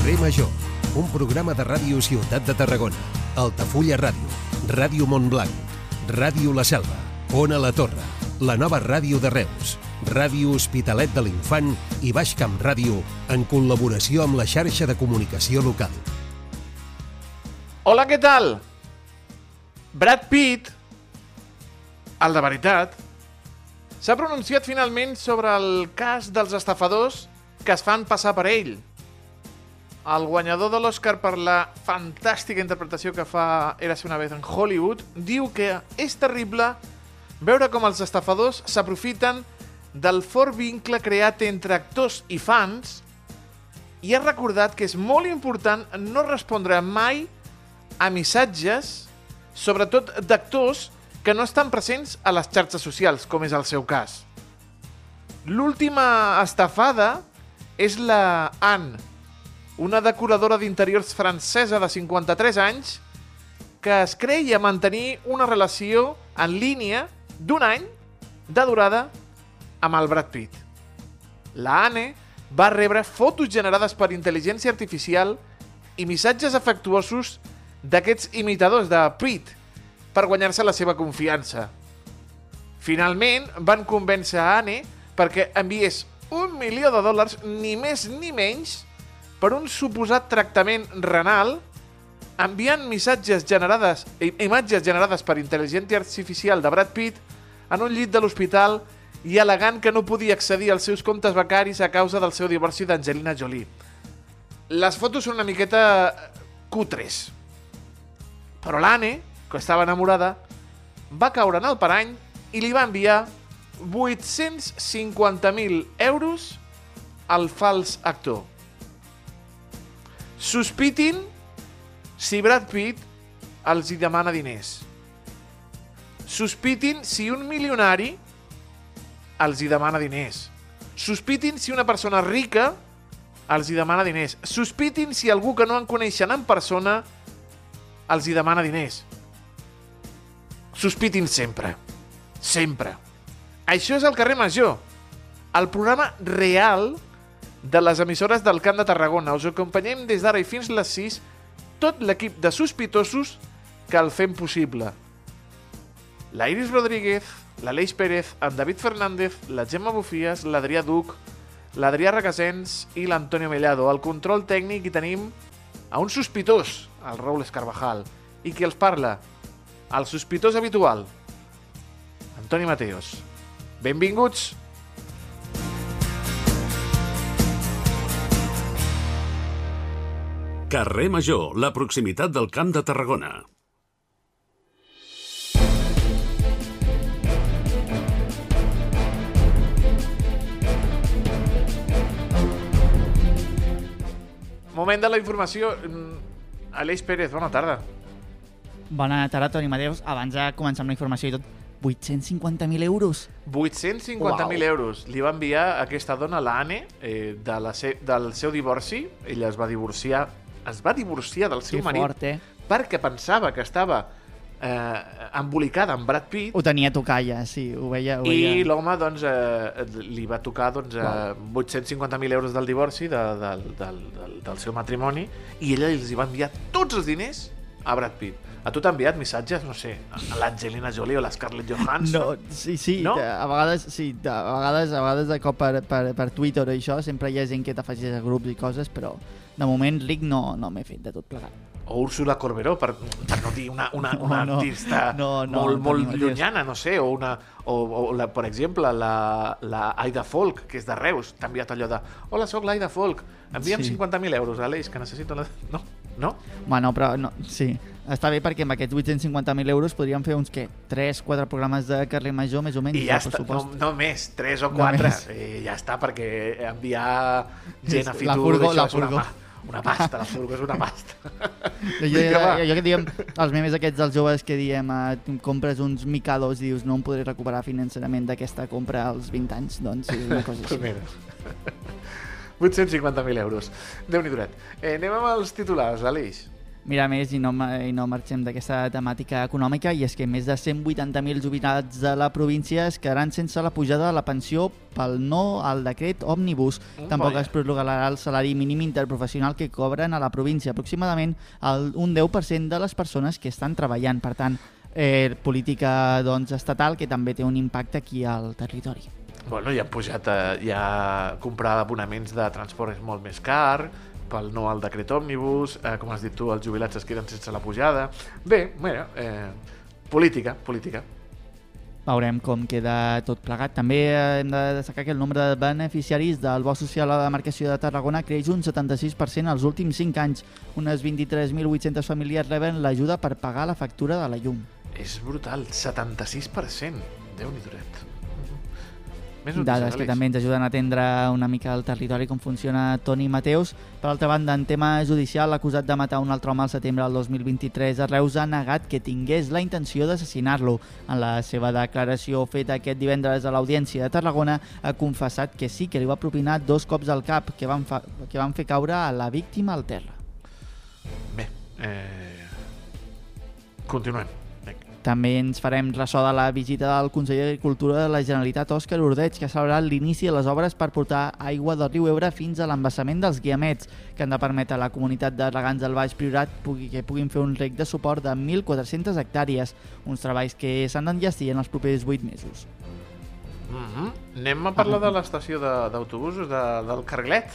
Carrer Major, un programa de Ràdio Ciutat de Tarragona, Altafulla Ràdio, Ràdio Montblanc, Ràdio La Selva, Ona la Torre, la nova ràdio de Reus, Ràdio Hospitalet de l'Infant i Baix Camp Ràdio, en col·laboració amb la xarxa de comunicació local. Hola, què tal? Brad Pitt, el de veritat, s'ha pronunciat finalment sobre el cas dels estafadors que es fan passar per ell. El guanyador de l'Oscar per la fantàstica interpretació que fa Érase una vez en Hollywood diu que és terrible veure com els estafadors s'aprofiten del fort vincle creat entre actors i fans i ha recordat que és molt important no respondre mai a missatges, sobretot d'actors que no estan presents a les xarxes socials, com és el seu cas. L'última estafada és la Anne, una decoradora d'interiors francesa de 53 anys que es creia mantenir una relació en línia d'un any de durada amb el Brad Pitt. La Anne va rebre fotos generades per intel·ligència artificial i missatges afectuosos d'aquests imitadors de Pitt per guanyar-se la seva confiança. Finalment van convèncer a Anne perquè enviés $1 milió, ni més ni menys, per un suposat tractament renal, enviant imatges generades per intel·ligència artificial de Brad Pitt en un llit de l'hospital i al·legant que no podia accedir als seus comptes bancaris a causa del seu divorci d'Angelina Jolie. Les fotos són una miqueta cutres, però l'Anne, que estava enamorada, va caure en el parany i li va enviar 850.000 euros al fals actor. Sospitin si Brad Pitt els hi demana diners. Sospitin si un milionari els hi demana diners. Sospitin si una persona rica els hi demana diners. Sospitin si algú que no en coneixen en persona els hi demana diners. Sospitin sempre. Sempre. Això és el Carrer Major, el programa real de les emissores del Camp de Tarragona. Us acompanyem des d'ara i fins les 6 tot l'equip de sospitosos que el fem possible. La Iris Rodríguez, l'Aleix Pérez, en David Fernández, la Gemma Bufies, l'Adrià Duc, l'Adrià Regasens i l'Antonio Mellado. Al control tècnic hi tenim a un sospitós, el Raúl Escarvajal. I qui els parla? El sospitós habitual, Antoni Mateos. Benvinguts! Carrer Major, la proximitat del Camp de Tarragona. Moment de la informació. Aleix Pérez, bona tarda. Bona tarda, Toni Mateus. Abans de començar amb la informació i tot, 850.000 euros. 850.000 euros. Li va enviar aquesta dona, l'Anne, del seu divorci. Ella es va divorciar del seu marit fort, perquè pensava que estava embolicada amb Brad Pitt. Ho tenia a tocar ja, sí, ho veia. I l'home doncs, li va tocar 850.000 euros del divorci del seu matrimoni i ella els hi va enviar tots els diners a Brad Pitt. A tu t'ha enviat missatges, no sé, a l'Angelina Jolie o la Scarlett Johansson? No, sí, no? A vegades de cop per Twitter o això, sempre hi ha gent que t'afegeix a grups i coses, però de moment ric no m'he fet de tot plegat. O Úrsula Corberó, per no dir una artista molt llunyana, no sé, per exemple, la Aida Folk, que és de Reus, t'ha enviat allò de hola, soc l'Aida Folk, envia'm 50.000 euros, Aleix, que necessito... No? Bueno, però no, sí, està bé perquè amb aquests 850.000 euros podríem fer uns, 3-4 programes de Carrer Major, més o menys. I ja està, no més, 3 o 4, ja està, perquè enviar gent a Fitur, això és una pasta, la furgo és una pasta. Jo que diem, els memes aquests dels joves que diem, compres uns Mikados i dius no em podré recuperar financerament d'aquesta compra als 20 anys, doncs és una cosa així. 850.000 euros. Déu-n'hi-do. Anem amb els titulars, Aleix. mirar més i no marxem d'aquesta temàtica econòmica, i és que més de 180.000 jubilats de la província es quedaran sense la pujada de la pensió pel no al decret Òmnibus. Tampoc es prorrogarà el salari mínim interprofessional que cobren a la província, aproximadament un 10% de les persones que estan treballant. Per tant, política estatal que també té un impacte aquí al territori. Bueno, ja han pujat, ja comprar abonaments de transport és molt més car, pel no al decret òmnibus, com has dit tu, els jubilats es queden sense la pujada. Bé, mira, política. Veurem com queda tot plegat. També hem de destacar que el nombre de beneficiaris del bo social a la demarcació de Tarragona creix un 76% els últims 5 anys. Unes 23.800 famílies reben l'ajuda per pagar la factura de la llum. És brutal, 76%. Déu-n'hi-do. Dades que també ens ajuden a atendre una mica el territori, com funciona Toni Mateus. Per altra banda, en tema judicial, l'acusat de matar un altre home al setembre del 2023 a Reus ha negat que tingués la intenció d'assassinar-lo. En la seva declaració feta aquest divendres a l'Audiència de Tarragona ha confessat que sí que li va propinar 2 cops al cap que van fer caure a la víctima al terra. Bé, continuem. També ens farem ressò de la visita del conseller d'Agricultura de la Generalitat, Òscar Ordeig, que ha celebrat l'inici de les obres per portar aigua del riu Ebre fins a l'embassament dels Guiamets, que han de permetre a la comunitat de regants del Baix Priorat que puguin fer un reg de suport de 1.400 hectàrees, uns treballs que s'han d'enllestir en els propers 8 mesos. Anem a parlar de l'estació d'autobusos del Carlet.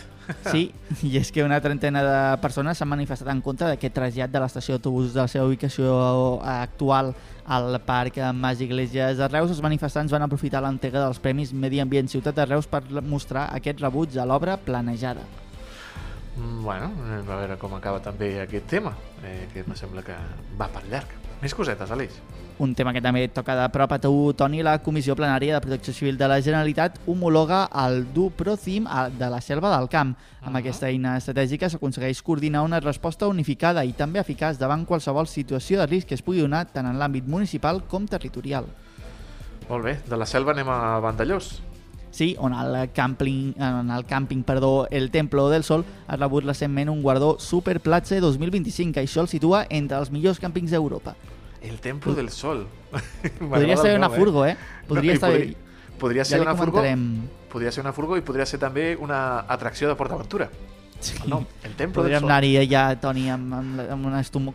Sí, i és que una trentena de persones s'han manifestat en contra d'aquest trasllat de l'estació d'autobusos de la seva ubicació actual al Parc Mas Iglesias de Reus. Els manifestants van aprofitar l'entrega dels Premis Medi Ambient Ciutat de Reus per mostrar aquest rebuig a l'obra planejada. Bueno, a veure com acaba també aquest tema, que em sembla que va per llarg. Més cosetes, Aleix. Un tema que també toca de prop a tu, Toni. La Comissió Plenària de Protecció Civil de la Generalitat homologa el DUPROCIM de la Selva del Camp. Amb aquesta eina estratègica s'aconsegueix coordinar una resposta unificada i també eficaç davant qualsevol situació de risc que es pugui donar tant en l'àmbit municipal com territorial. Molt bé, de la selva anem a Vandellós. Sí, on el càmping El Templo del Sol ha rebut recentment un guardó Superplatze 2025, que això el situa entre els millors càmpings d'Europa. El Templo del Sol. Podria ser una furgo, Podria ser una furgo. Podria ser una furgo i podria ser també una atracció de PortAventura. Sí. No, el Templo del Sol. Podríem anar-hi allà, Toni,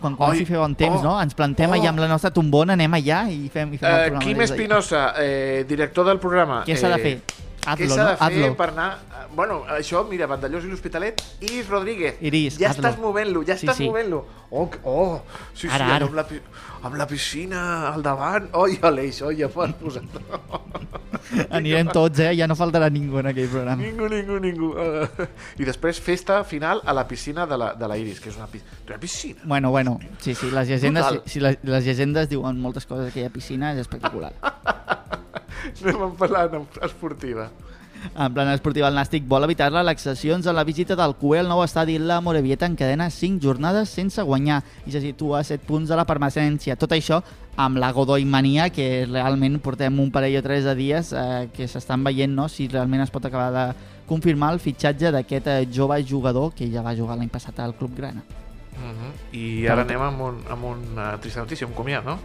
quan s'hi feu bon temps, no? Ens plantem allà amb la nostra tombona, anem allà i fem el programa. Quim Espinosa, director del programa. Què s'ha de fer? Què s'ha de fer per anar... Bueno, això, mira, Vandellós i l'Hospitalet. Iris Rodríguez. Ja estàs movent-lo, Oh, sí, ara. Amb la piscina al davant. Oi, Aleix, ja pots posar-lo. Anirem tots, ja no faltarà ningú en aquell programa. Ningú. I després festa final a la piscina de la Iris, que és una piscina. Bueno, sí, les llegendes diuen moltes coses, aquella piscina és espectacular. Anem a parlar esportiva. En plana esportiva, el Nàstic vol evitar les laxacions a la visita del Cué al nou estadi. La Morevieta encadena 5 jornades sense guanyar i se situa a 7 punts de la permanència. Tot això amb la Godoy mania, que realment portem un parell o 3 de dies que s'estan veient, no?, si realment es pot acabar de confirmar el fitxatge d'aquest jove jugador que ja va jugar l'any passat al Club Grana. I ara anem amb una trista notícia, un comiat, no?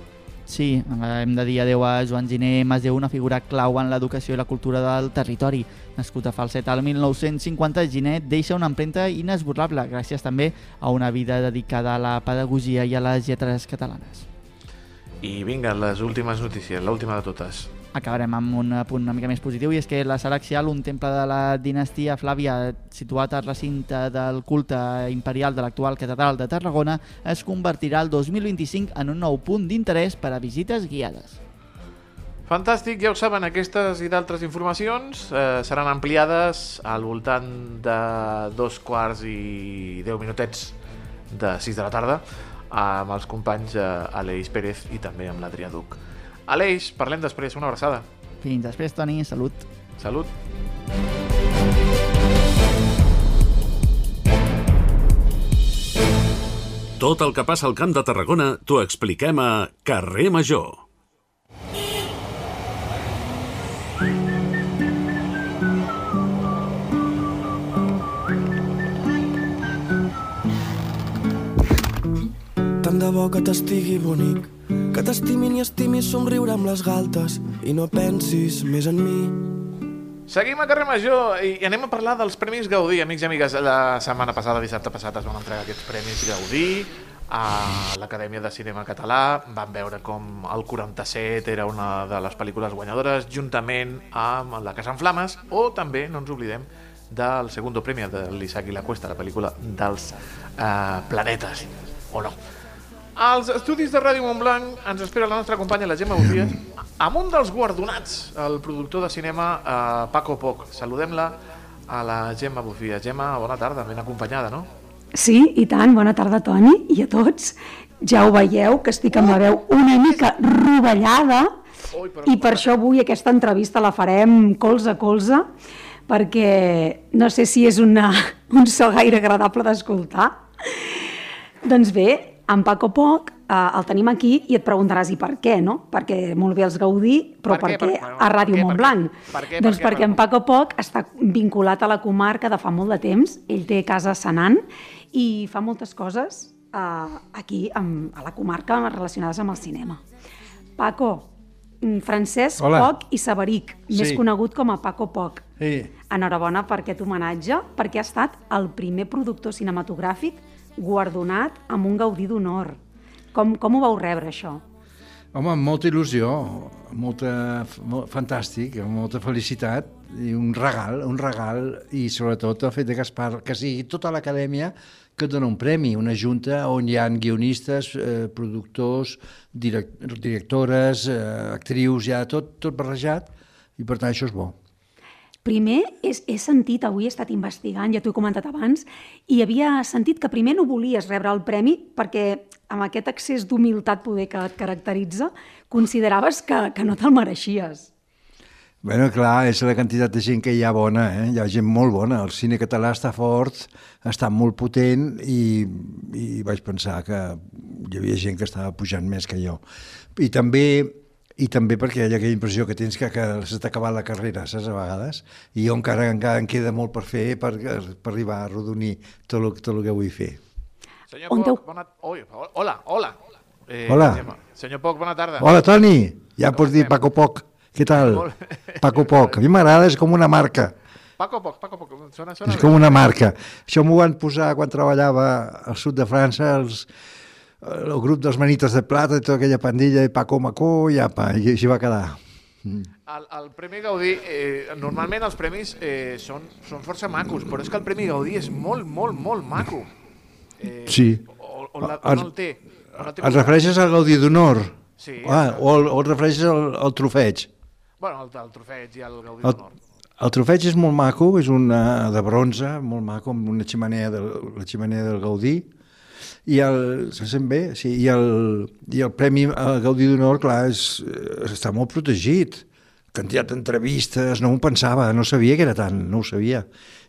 Sí, hem de dir adeu a Joan Giner Masdeu, una figura clau en l'educació i la cultura del territori. Nascut a Falset al 1950, Giner deixa una empremta inesborrable, gràcies també a una vida dedicada a la pedagogia i a les lletres catalanes. I vinga, les últimes notícies, l'última de totes. Acabarem amb un punt una mica més positiu, i és que la Sala Axial, un temple de la dinastia Flàvia situat al recinte del culte imperial de l'actual catedral de Tarragona, es convertirà el 2025 en un nou punt d'interès per a visites guiades. Fantàstic, ja ho saben, aquestes i d'altres informacions seran ampliades al voltant de 2:10 de 6 de la tarda amb els companys Aleix Pérez i també amb l'Adrià Duc. Aleix, parlem després, una abraçada. Fins després, Toni, salut. Salut. Tot el que passa al Camp de Tarragona t'ho expliquem a Carrer Major. tant de bo que t'estigui bonic, que t'estimin i estimis somriure amb les galtes i no pensis més en mi. Seguim a Carrer Major i anem a parlar dels Premis Gaudí, amics i amigues. La setmana passada, dissabte passat, es van entregar aquests Premis Gaudí a l'Acadèmia de Cinema Català. Vam veure com el 47 era una de les pel·lícules guanyadores, juntament amb La Casa en Flames, o també, no ens oblidem, del segundo premi de l'Isaac i la Cuesta, la pel·lícula dels planetes, o no. Als estudis de Ràdio Montblanc ens espera la nostra companya, la Gemma Bufies, amb un dels guardonats, el productor de cinema Paco Poch. Saludem-la a la Gemma Bufies. Gemma, bona tarda, ben acompanyada, no? Sí, i tant. Bona tarda, Toni, i a tots. Ja ho veieu, que estic amb la veu una mica rovellada, i per això avui aquesta entrevista la farem colze a colze, perquè no sé si és un so gaire agradable d'escoltar. Doncs bé, en Paco Poch el tenim aquí i et preguntaràs i per què, no? Perquè molt bé els Gaudí, però per què a Ràdio Montblanc? Doncs perquè en Paco Poch està vinculat a la comarca de fa molt de temps. Ell té casa a Senan i fa moltes coses aquí a la comarca relacionades amb el cinema. Paco, Francesc Poch i Saberich, més conegut com a Paco Poch. Enhorabona per aquest homenatge, perquè ha estat el primer productor cinematogràfic guardonat amb un Gaudí d'honor. Com ho vau rebre, això? Home, amb molta il·lusió, fantàstic, amb molta felicitat i un regal, i sobretot el fet que sigui tota l'acadèmia que et dona un premi, una junta on hi ha guionistes, productors, directores, actrius, ja tot barrejat, i per tant això és bo. Primer, he sentit, avui he estat investigant, ja t'ho he comentat abans, i havia sentit que primer no volies rebre el premi perquè amb aquest excés d'humilitat poder que et caracteritza, consideraves que no te'l mereixies. Bé, clar, és la quantitat de gent que hi ha bona, hi ha gent molt bona. El cine català està fort, està molt potent i vaig pensar que hi havia gent que estava pujant més que jo. I també perquè hi ha aquella impressió que tens que s'ha acabat la carrera, saps, a vegades, i jo encara em queda molt per fer per arribar a arrodonir tot el que vull fer. Senyor Poch, hola. Hola. Senyor Poch, bona tarda. Hola, Toni. Ja pots dir Paco Poch. Què tal? Paco Poch. A mi m'agrada, és com una marca. Paco Poch. Sona és com una marca. Això m'ho van posar quan treballava al sud de França, el grup dels Manitos de Plata i tota aquella pandilla, i Paco Macó, i així va quedar. El Premi Gaudí, normalment els premis són força macos, però és que el Premi Gaudí és molt, molt, molt maco. Sí. On el té? Et refereixes al Gaudí d'Honor? Sí. O et refereixes al trofeig? Bueno, el trofeig i el Gaudí d'Honor. El trofeig és molt maco, és de bronze, molt maco, amb una xemeneia del Gaudí. Se sent bé, sí. I el Premi Gaudí d'Honor, clar, està molt protegit. Quantitat d'entrevistes, no m'ho pensava, no sabia que era tant, no ho sabia.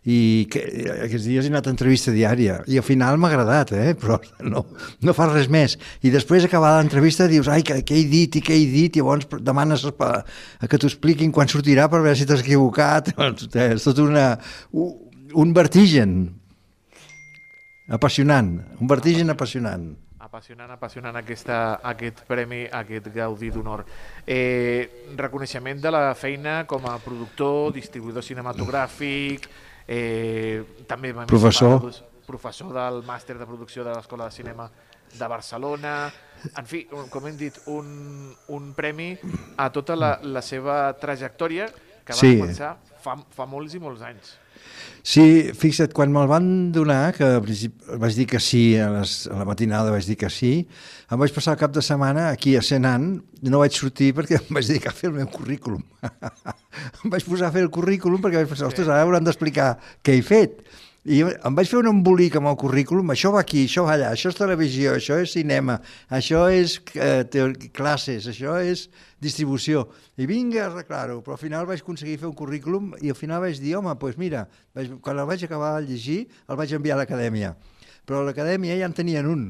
I aquests dies he anat a entrevista diària i al final m'ha agradat, però no fa res més. I després d'acabar l'entrevista dius, ai, què he dit, i llavors demanes que t'ho expliquin quan sortirà per veure si t'has equivocat. És tot un vertigen apassionant, un vertigen apassionant. Apassionant aquest premi, aquest Gaudí d'Honor. Reconeixement de la feina com a productor, distribuïdor cinematogràfic, també professor del màster de producció de l'Escola de Cinema de Barcelona. En fi, com hem dit, un premi a tota la seva trajectòria que va començar fa molts i molts anys. Sí, fixa't, quan me'l van donar, que al principi vaig dir que sí, a la matinada vaig dir que sí, em vaig passar el cap de setmana aquí a Senan, no vaig sortir perquè em vaig dedicar a fer el meu currículum. Em vaig posar a fer el currículum perquè vaig pensar, ostres, ara hauran d'explicar què he fet. I em vaig fer un embolic amb el currículum, això va aquí, això va allà, això és televisió, això és cinema, això és classes, això és distribució. I vinga a arreglar-ho, però al final vaig aconseguir fer un currículum i al final vaig dir, home, doncs mira, quan el vaig acabar de llegir, el vaig enviar a l'acadèmia. Però a l'acadèmia ja en tenien un,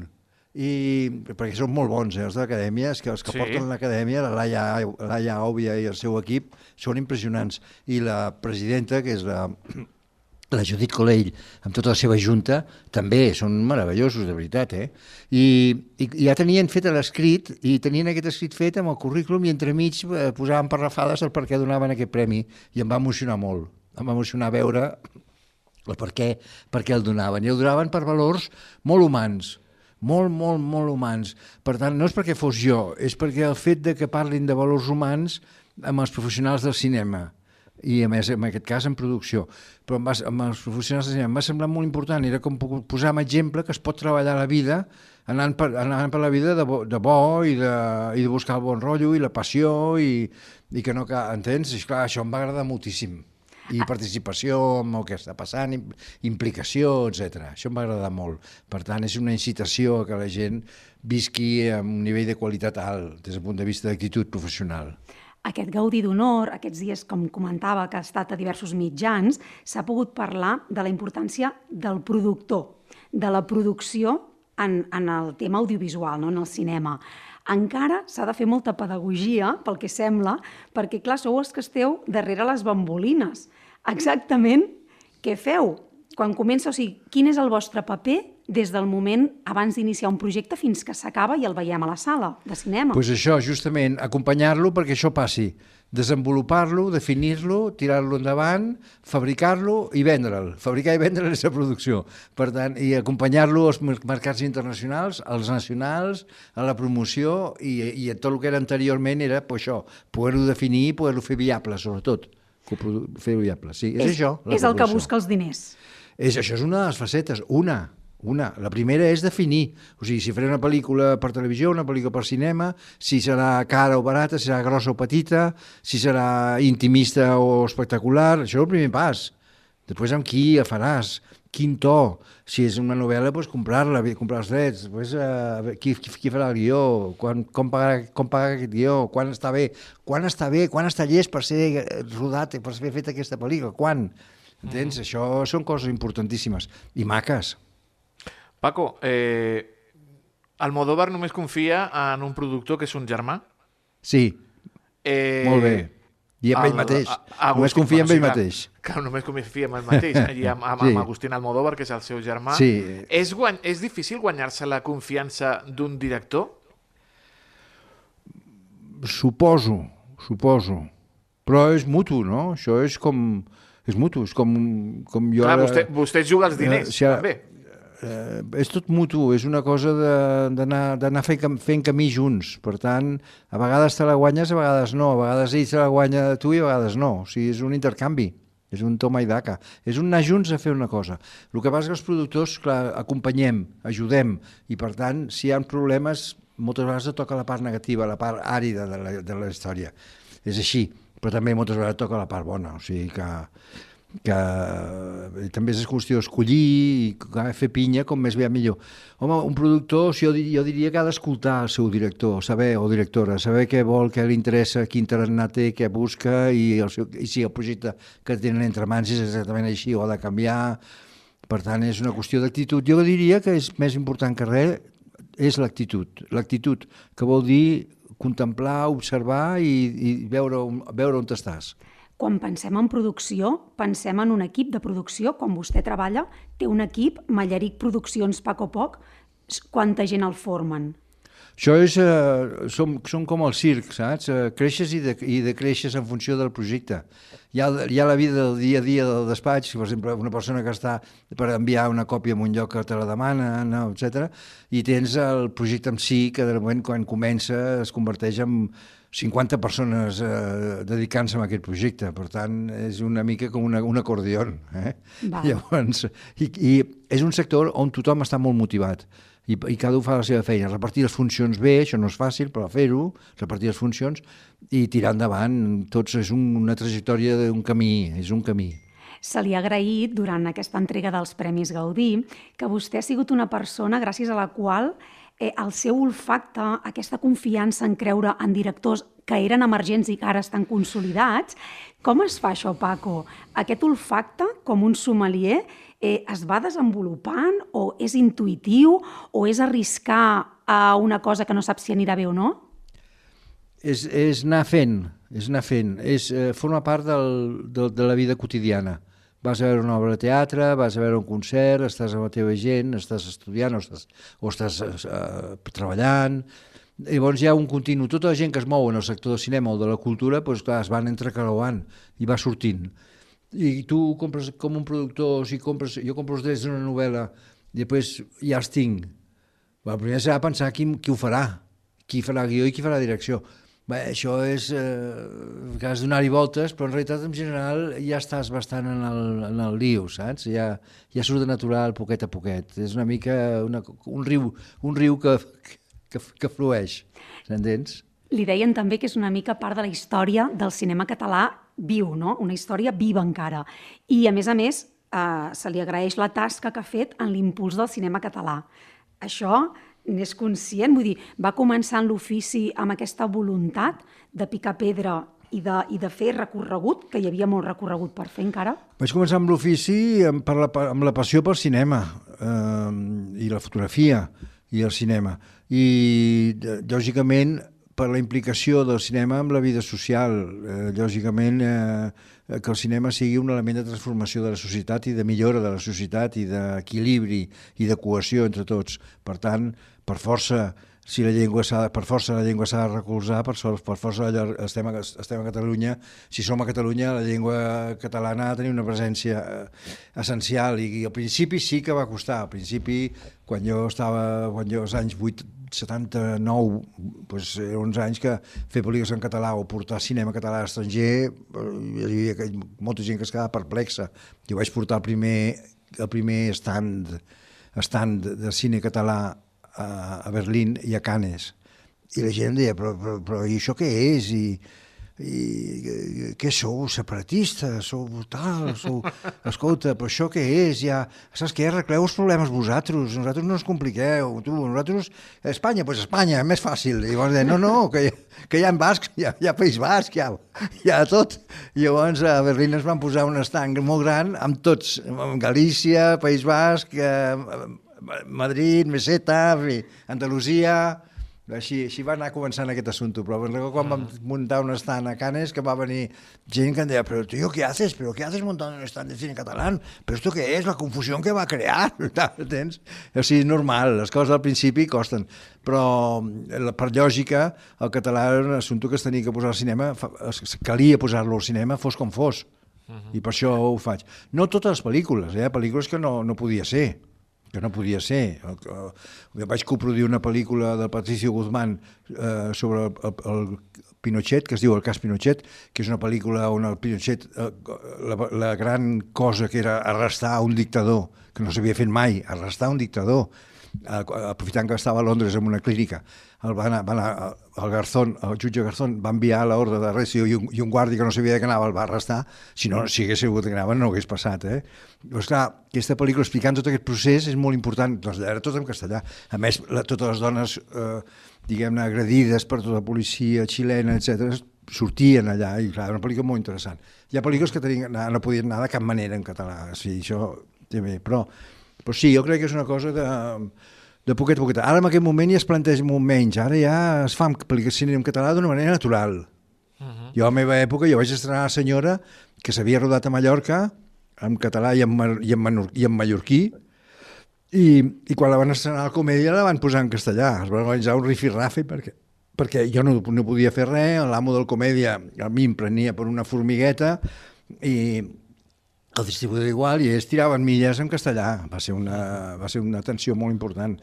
perquè són molt bons, els de l'acadèmia, els que porten l'acadèmia, la Laia Òbvia i el seu equip, són impressionants. I la presidenta, que és la Judit Colell, amb tota la seva junta, també són meravellosos, de veritat, I ja tenien fet l'escrit, i tenien aquest escrit fet amb el currículum, i entremig posaven parrafades el per què donaven aquest premi, i em va emocionar molt. Em va emocionar veure el per què el donaven. I el donaven per valors molt humans, molt humans. Per tant, no és perquè fos jo, és perquè el fet de que parlin de valors humans amb els professionals del cinema, i a més, en aquest cas, en producció. Però amb els professionals de cinema em va semblar molt important, era com posar un exemple que es pot treballar la vida anant per la vida de bo i de buscar el bon rotllo i la passió i que no... Entens? I clar, això em va agradar moltíssim. I participació en el que està passant, implicació, etc. Això em va agradar molt. Per tant, és una incitació a que la gent visqui amb un nivell de qualitat alt des del punt de vista d'actitud professional. Aquest Gaudí d'Honor, aquests dies, com comentava, que ha estat a diversos mitjans, s'ha pogut parlar de la importància del productor, de la producció en el tema audiovisual, no? En el cinema. Encara s'ha de fer molta pedagogia, pel que sembla, perquè, clar, sou els que esteu darrere les bambolines. Exactament què feu? Quan comença, o sigui, quin és el vostre paper des del moment abans d'iniciar un projecte fins que s'acaba i el veiem a la sala de cinema? Doncs això, justament, acompanyar-lo perquè això passi. Desenvolupar-lo, definir-lo, tirar-lo endavant, fabricar-lo i vendre'l. Fabricar i vendre'l és la producció. Per tant, i acompanyar-lo als mercats internacionals, als nacionals, a la promoció i a tot el que era anteriorment era això, poder-ho definir i poder-lo fer viable, sobretot. Fer-ho viable, sí. És això. És el que busca els diners. Això és una de les facetes, una. La primera és definir, o sigui, si faré una pel·lícula per televisió, una pel·lícula per cinema, si serà cara o barata, si serà grossa o petita, si serà intimista o espectacular, això és el primer pas. Després amb qui la faràs, quin to, si és una novel·la, doncs comprar-la, comprar els drets, després qui farà el guió, com pagar aquest guió, quan està bé, quan està llest per ser rodat, per ser feta aquesta pel·lícula, quan? Entens? Això són coses importantíssimes i maques. Paco, Almodóvar només confia en un productor que és un germà? Sí, molt bé. I amb ell mateix. Només confia en ell mateix. Clar, només confia en ell mateix. I amb Agustín Almodóvar, que és el seu germà. Sí. És difícil guanyar-se la confiança d'un director? Suposo. Però és mutu, no? Això és com... És mutu, és com jo... Clar, vostè juga els diners, també. És tot mutu, és una cosa d'anar fent camí junts. Per tant, a vegades te la guanyes, a vegades no. A vegades ell se la guanya de tu i a vegades no. O sigui, és un intercanvi, és un toma i daca. És un anar junts a fer una cosa. El que passa és que els productors, clar, acompanyem, ajudem, i per tant, si hi ha problemes, moltes vegades toca la part negativa, la part àrida de la història. És així, però també moltes vegades toca la part bona, o sigui que també és qüestió d'escollir i fer pinya com més bé millor. Home, un productor, jo diria que ha d'escoltar el seu director, o directora, saber què vol, què li interessa, quin tarannà té, què busca i si el projecte que tenen entre mans és exactament així o ha de canviar. Per tant, és una qüestió d'actitud. Jo diria que és més important que res és l'actitud. L'actitud, que vol dir contemplar, observar i veure on estàs. Quan pensem en producció, pensem en un equip de producció. Quan vostè treballa, té un equip, Mallaric Produccions, Paco Poc. Quanta gent el formen? Això són com el circ, saps? Creixes i decreixes en funció del projecte. Hi ha la vida del dia a dia del despatx, per exemple, una persona que està per enviar una còpia en un lloc que te la demana, etc. I tens el projecte en si, que de moment, quan comença, es converteix en 50 persones dedicant-se a aquest projecte. Per tant, és una mica com un acordió. Llavors, i és un sector on tothom està molt motivat i cada un fa la seva feina. Repartir les funcions bé, això no és fàcil, però fer-ho, repartir les funcions i tirar endavant. Tots és una trajectòria d'un camí, és un camí. Se li ha agraït, durant aquesta entrega dels Premis Gaudí, que vostè ha sigut una persona gràcies a la qual el seu olfacte, aquesta confiança en creure en directors que eren emergents i que ara estan consolidats. Com es fa això, Paco? Aquest olfacte, com un sommelier, es va desenvolupant o és intuïtiu o és arriscar a una cosa que no saps si anirà bé o no? És anar fent, forma part de la vida quotidiana. vas a veure una obra de teatre, vas a veure un concert, estàs amb la teva gent, estàs estudiant o estàs treballant. Llavors hi ha un continu. Tota la gent que es mou en el sector del cinema o de la cultura, doncs clar, es van entrecreuant i va sortint. I tu compres com un productor, jo compro els drets d'una novel·la i després ja els tinc. Primer s'ha de pensar qui ho farà, qui farà guió i qui farà direcció. Bé, això és que has de donar-hi voltes, però en realitat en general ja estàs bastant en el lío, saps? Ja surt de natural poquet a poquet. És una mica un riu que flueix, s'entens? Li deien també que és una mica part de la història del cinema català viu, no? Una història viva encara. I a més, se li agraeix la tasca que ha fet en l'impuls del cinema català. Això n'és conscient? Vull dir, va començar en l'ofici amb aquesta voluntat de picar pedra i de fer recorregut, que hi havia molt recorregut per fer encara? Vaig començar amb l'ofici amb la passió pel cinema i la fotografia i el cinema. I, lògicament, per la implicació del cinema amb la vida social. Lògicament, que el cinema sigui un element de transformació de la societat i de millora de la societat i d'equilibri i de cohesió entre tots. Per tant, per força, la llengua s'ha de recolzar, per força estem a Catalunya. Si som a Catalunya, la llengua catalana ha de tenir una presència essencial i al principi sí que va costar. Al principi, quan jo als anys 79, doncs eren uns anys que fer pel·lícules en català o portar cinema català a l'estranger, hi havia molta gent que es quedava perplexa. Jo vaig portar el primer stand de cine català a Berlín i a Cannes. I la gent deia, però i això què és? I què sou? Separatistes? Sou tal? Escolta, però això què és? Saps què? Arregleu els problemes vosaltres. Nosaltres no ens compliqueu. Nosaltres, Espanya, doncs Espanya, és més fàcil. I llavors deien, no, que hi ha bascs, hi ha País Basc, hi ha tot. I llavors a Berlín es van posar un estanc molt gran amb tots, Galícia, País Basc, Madrid, Meseta, Andalusia. Així va anar començant aquest assumpte, però quan vam muntar un stand a Cannes que va venir gent que em deia, però tío, ¿qué haces? ¿Pero qué haces montando un stand de cine catalán? ¿Pero esto qué es? La confusión que va a crear. ¿Entens? O sigui, és normal, les coses al principi costen, però per lògica el català era un assumpte que es tenia que posar al cinema, calia posar-lo al cinema fos com fos, i per això ho faig. No totes les pel·lícules, pel·lícules que no podia ser. Jo vaig coproduir una pel·lícula del Patricio Guzmán sobre el Pinochet, que es diu El cas Pinochet, que és una pel·lícula on el Pinochet, la gran cosa que era arrestar un dictador, que no s'havia fet mai, arrestar un dictador, aprofitant que estava a Londres en una clínica. El jutge Garzón va enviar l'ordre d'arresto i un guàrdia que no sabia que anava el va arrestar. Si hagués sabut que anava no hagués passat. Doncs clar, aquesta pel·lícula explicant tot aquest procés és molt important, era tot en castellà. A més, totes les dones, diguem-ne, agredides per tota la policia xilena, etc., sortien allà, i clar, era una pel·lícula molt interessant. Hi ha pel·lícules que no podien anar de cap manera en català, sí, això també, però sí, jo crec que és una cosa de poquet a poquet. Ara en aquest moment ja es planteja molt menys, ara ja es fa cinema en català d'una manera natural. Jo a la meva època vaig estrenar La senyora, que s'havia rodat a Mallorca, en català i en mallorquí, i quan la van estrenar a la comèdia la van posar en castellà, es va organitzar un rifirrafe perquè jo no podia fer res, l'amo del comèdia a mi em prenia per una formigueta i el distribuïdor igual, i ells tiraven milles en castellà. Va ser una tensió molt important.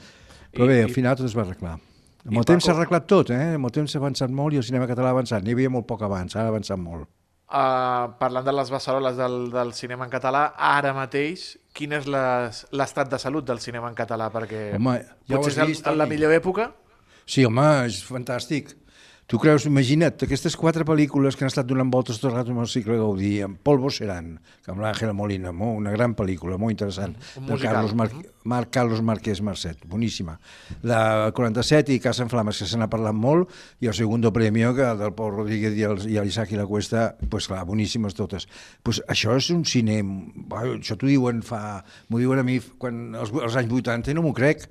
Però bé, al final tot es va arreglar. Amb el temps s'ha arreglat tot, amb el temps s'ha avançat molt i el cinema català ha avançat. N'hi havia molt poc abans, ara ha avançat molt. Parlant de les beceroles del cinema en català, ara mateix, quin és l'estat de salut del cinema en català? Perquè potser és la millor època? Sí, home, és fantàstic. Tu creus, imagina't, aquestes 4 pel·lícules que han estat donant voltes tot el rato amb el cicle Gaudí, amb Polvo Serán, amb l'Àngela Molina, una gran pel·lícula, molt interessant, de Carlos Marquès Marcet, boníssima. La 47 i Casa en Flames, que se n'ha parlat molt, i el Segundo Premio, que del Pol Rodríguez i l'Isaac i la Cuesta, doncs clar, boníssimes totes. Això és un cine, això m'ho diuen a mi als anys 80 i no m'ho crec.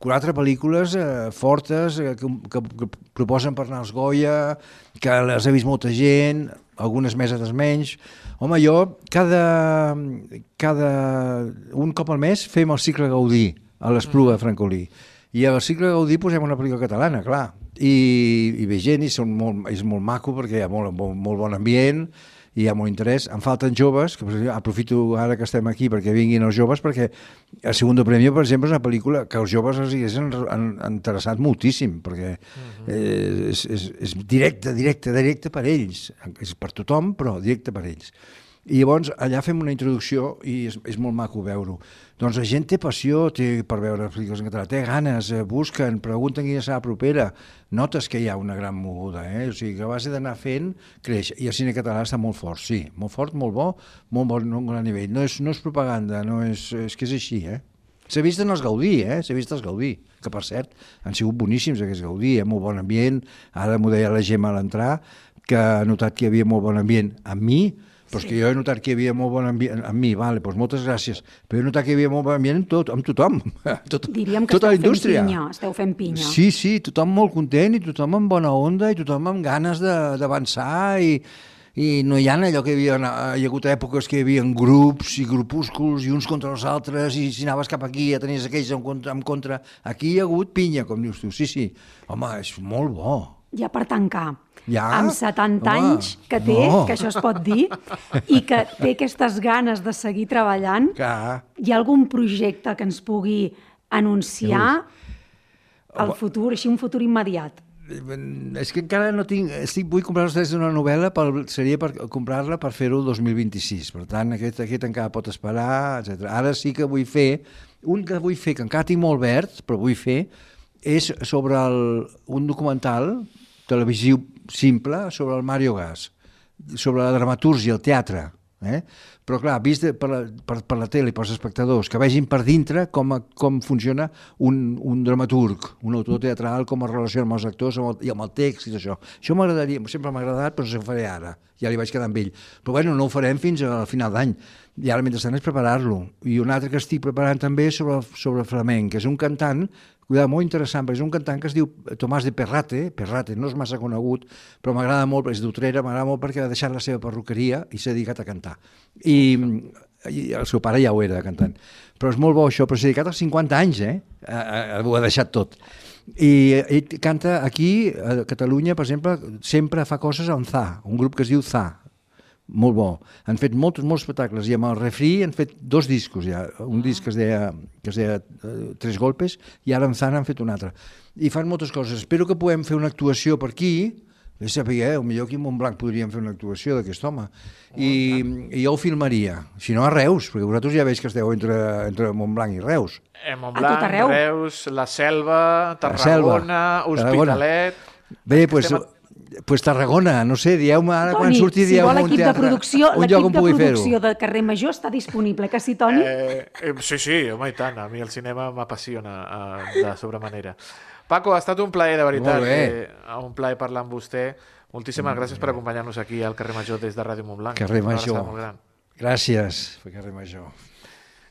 4 pel·lícules fortes que proposen per anar als Goya, que les ha vist molta gent, algunes mesetes menys. Home, jo un cop al mes fem el cicle Gaudí a l'Espluga de Francolí. I al cicle Gaudí posem una pel·lícula catalana, clar. I ve gent i és molt maco perquè hi ha molt bon ambient, i hi ha molt interès. Em falten joves, que aprofito ara que estem aquí perquè vinguin els joves, perquè el Segundo Premio, per exemple, és una pel·lícula que els joves els haguessin interessat moltíssim, perquè és directe per ells. És per tothom, però directe per ells. I llavors allà fem una introducció i és molt maco veure-ho. Doncs la gent té passió per veure pel·lícules en català, té ganes, busquen, pregunten quina serà la propera, notes que hi ha una gran moguda, o sigui que a base d'anar fent creix, i el cine català està molt fort, sí, molt fort, molt bo, molt bon nivell, no és propaganda, és que és així, S'ha vist en els Gaudí, s'ha vist els Gaudí, que per cert han sigut boníssims aquests Gaudí, molt bon ambient, ara m'ho deia la Gemma a l'entrar, que ha notat que hi havia molt bon ambient amb mi, però és que jo he notat que hi havia molt bon ambient amb mi, doncs moltes gràcies, però he notat que hi havia molt bon ambient amb tothom, diríem que esteu fent pinya. Sí, tothom molt content i tothom amb bona onda i tothom amb ganes d'avançar i no hi ha allò que hi ha hagut èpoques que hi havia grups i grupúsculs i uns contra els altres i si anaves cap aquí ja tenies aquells en contra. Aquí hi ha hagut pinya, com dius tu. Sí, home, és molt bo. Ja per tancar. Ja? Amb 70 anys que té, que això es pot dir, i que té aquestes ganes de seguir treballant, hi ha algun projecte que ens pugui anunciar el futur, així un futur immediat? És que encara no tinc... Vull comprar els drets d'una novel·la, seria per comprar-la per fer-ho el 2026. Per tant, aquest encara pot esperar, etc. Ara sí que vull fer... Un que vull fer, que encara tinc molt verd, però vull fer, és sobre un documental televisiu simple sobre el Mario Gas, sobre la dramatúrgia, el teatre. Però clar, vist per la tele, pels espectadors, que vegin per dintre com funciona un dramaturg, un autor teatral, com es relaciona amb els actors i amb el text i això. Això m'agradaria, sempre m'ha agradat, però no ho faré ara. Ja li vaig quedar amb ell. Però bueno, no ho farem fins al final d'any. I ara, mentrestant, és preparar-lo. I un altre que estic preparant també és sobre flamenc, que és un cantant molt interessant, perquè és un cantant que es diu Tomàs de Perrate, no és massa conegut, però m'agrada molt, és d'Utrera, m'agrada molt perquè ha deixat la seva perruqueria i s'ha dedicat a cantar. I el seu pare ja ho era, cantant. Però és molt bo això, però s'ha dedicat als 50 anys, ho ha deixat tot. I ell canta aquí, a Catalunya, per exemple, sempre fa coses amb ZA, un grup que es diu ZA, molt bo. Han fet molts espectacles i amb el Refri han fet 2 discos ja, un disc que es deia Tres Golpes i ara amb Zan han fet un altre. I fan moltes coses. Espero que puguem fer una actuació per aquí, potser aquí a Montblanc podríem fer una actuació d'aquest home i jo ho filmaria, si no a Reus, perquè vosaltres ja veig que esteu entre Montblanc i Reus. Montblanc, Reus, la Selva, Tarragona, Hospitalet... Bé, doncs Tarragona, no sé, dieu-me ara quan surti, dieu-me un teatre, un lloc on pugui fer-ho. L'equip de producció de Carrer Major està disponible, que sí, Toni? Sí, home, i tant, a mi el cinema m'apassiona de sobremanera. Paco, ha estat un plaer, de veritat, un plaer parlar amb vostè. Moltíssimes gràcies per acompanyar-nos aquí al Carrer Major des de Ràdio Montblanc. Carrer Major, gràcies per Carrer Major.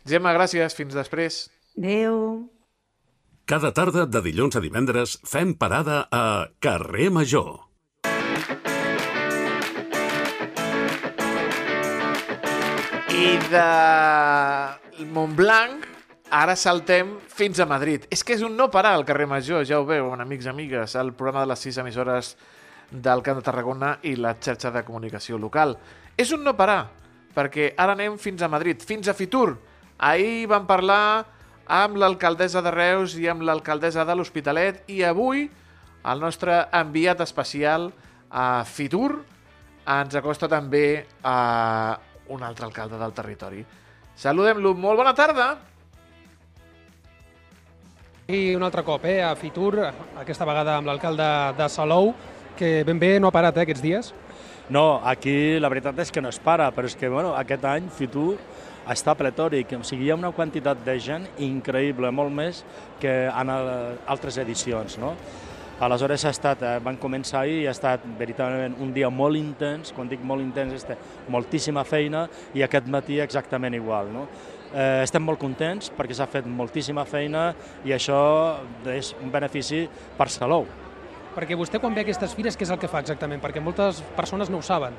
Gemma, gràcies, fins després. Adéu. Cada tarda de dilluns a divendres fem parada a Carrer Major. I de Montblanc ara saltem fins a Madrid. És que és un no parar al Carrer Major, ja ho veuen, amics i amigues, el programa de les 6 emissores del Camp de Tarragona i la xarxa de comunicació local. És un no parar, perquè ara anem fins a Madrid, fins a Fitur. Ahir vam parlar amb l'alcaldessa de Reus i amb l'alcaldessa de l'Hospitalet i avui el nostre enviat especial a Fitur ens acosta també a un altre alcalde del territori. Saludem-lo. Molt bona tarda. I un altre cop a Fitur, aquesta vegada amb l'alcalde de Salou, que ben bé no ha parat aquests dies. No, aquí la veritat és que no es para, però és que aquest any Fitur està pletòric, o sigui, hi ha una quantitat de gent increïble, molt més que en altres edicions, no? Aleshores van començar ahir i ha estat veritablement un dia molt intens, quan dic molt intens moltíssima feina i aquest matí exactament igual, no? Estem molt contents perquè s'ha fet moltíssima feina i això és un benefici per Salou. Perquè vostè quan ve a aquestes fires què és el que fa exactament? Perquè moltes persones no ho saben.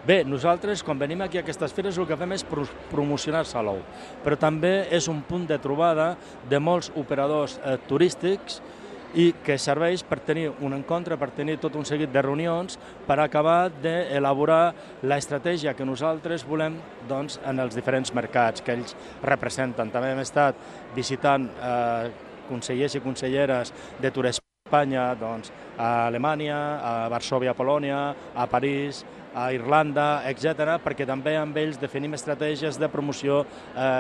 Bé, nosaltres, quan venim aquí a aquestes fires, el que fem és promocionar Salou, però també és un punt de trobada de molts operadors turístics i que serveix per tenir un encontre, per tenir tot un seguit de reunions, per acabar d'elaborar l'estratègia que nosaltres volem doncs, en els diferents mercats que ells representen. També hem estat visitant consellers i conselleres de Turisme Espanya, doncs, a Alemanya, a Varsòvia, a Polònia, a París, a Irlanda, etc., perquè també amb ells definim estratègies de promoció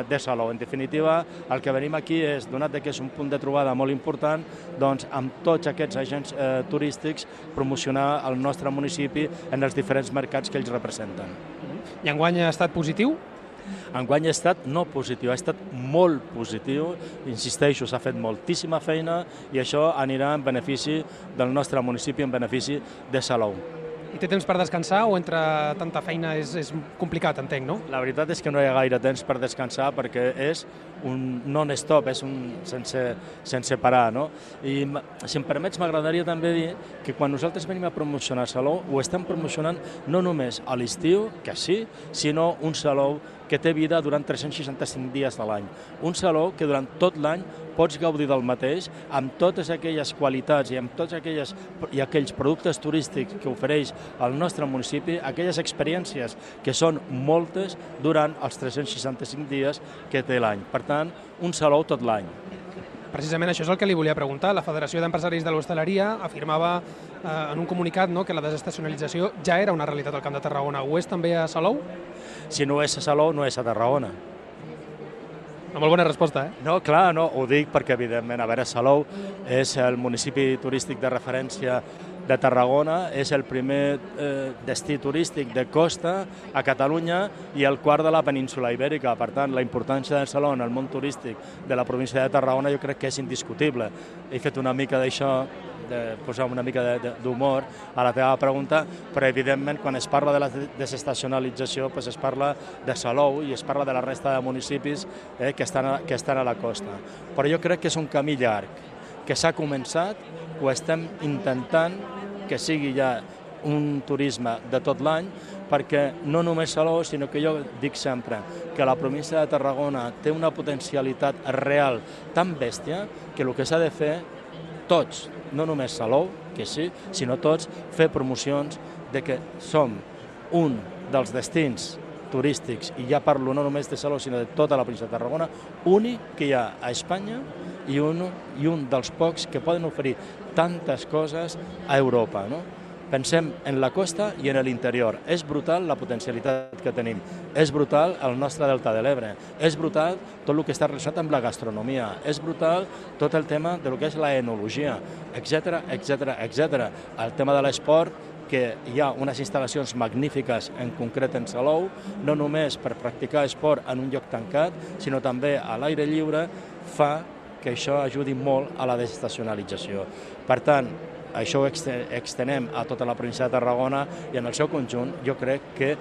de Salou. En definitiva, el que venim aquí és, donat que és un punt de trobada molt important, doncs amb tots aquests agents turístics promocionar el nostre municipi en els diferents mercats que ells representen. I enguany ha estat positiu? Enguany ha estat no positiu, ha estat molt positiu, insisteixo, s'ha fet moltíssima feina i això anirà en benefici del nostre municipi, en benefici de Salou. I té temps per descansar o entre tanta feina és complicat, entenc, no? La veritat és que no hi ha gaire temps per descansar perquè és un non-stop, és un sense parar, no? I si em permets m'agradaria també dir que quan nosaltres venim a promocionar Salou ho estem promocionant no només a l'estiu, que sí, sinó un Salou que té vida durant 365 dies de l'any. Un Salou que durant tot l'any pots gaudir del mateix amb totes aquelles qualitats i amb tots aquells productes turístics que ofereix el nostre municipi, aquelles experiències que són moltes durant els 365 dies que té l'any. Per tant, un Salou tot l'any. Precisament això és el que li volia preguntar. La Federació d'Empresaris de l'Hostaleria afirmava en un comunicat que la desestacionalització ja era una realitat al Camp de Tarragona. Ho és també a Salou? Si no és a Salou, no és a Tarragona. Una molt bona resposta, No, clar, no, ho dic perquè, evidentment, a veure, Salou és el municipi turístic de referència de Tarragona, és el primer destí turístic de costa a Catalunya i el quart de la península Ibèrica. Per tant, la importància de Salou en el món turístic de la província de Tarragona jo crec que és indiscutible. He fet una mica d'això, de posar una mica d'humor a la teva pregunta, però evidentment quan es parla de la desestacionalització es parla de Salou i es parla de la resta de municipis que estan a la costa. Però jo crec que és un camí llarg, que s'ha començat, ho estem intentant que sigui ja un turisme de tot l'any, perquè no només Salou, sinó que jo dic sempre que la província de Tarragona té una potencialitat real tan bèstia que el que s'ha de fer tots, no només Salou, que sí, sinó tots, fer promocions de que som un dels destins turístics, i ja parlo no només de Salou, sinó de tota la província de Tarragona, únic que hi ha a Espanya i un dels pocs que poden oferir tantes coses a Europa, no? Pensem en la costa i en l'interior. És brutal la potencialitat que tenim. És brutal el nostre delta de l'Ebre. És brutal tot el que està relacionat amb la gastronomia. És brutal tot el tema de lo que és la enologia, etc. El tema de l'esport, que hi ha unes instal·lacions magnífiques, en concret en Salou, no només per practicar esport en un lloc tancat, sinó també a l'aire lliure, fa que això ajudi molt a la desestacionalització. Per tant, això ho extenem a tota la província de Tarragona i en el seu conjunt jo crec que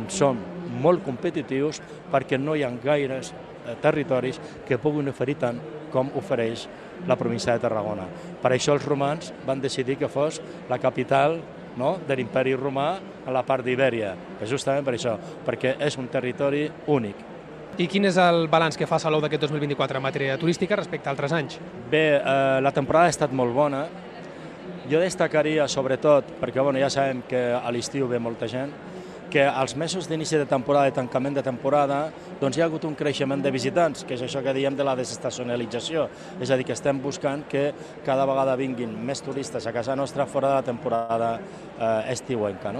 som molt competitius perquè no hi ha gaires territoris que puguin oferir tant com ofereix la província de Tarragona. Per això els romans van decidir que fos la capital de l'imperi romà a la part d'Ibèria, justament per això, perquè és un territori únic. I quin és el balanç que fa Salou d'aquest 2024 en matèria turística respecte a altres anys? Bé, la temporada ha estat molt bona. Jo destacaria, sobretot, perquè ja sabem que a l'estiu ve molta gent, que als mesos d'inici de temporada i tancament de temporada doncs hi ha hagut un creixement de visitants, que és això que diem de la desestacionalització. És a dir, que estem buscant que cada vegada vinguin més turistes a casa nostra fora de la temporada estiuenca.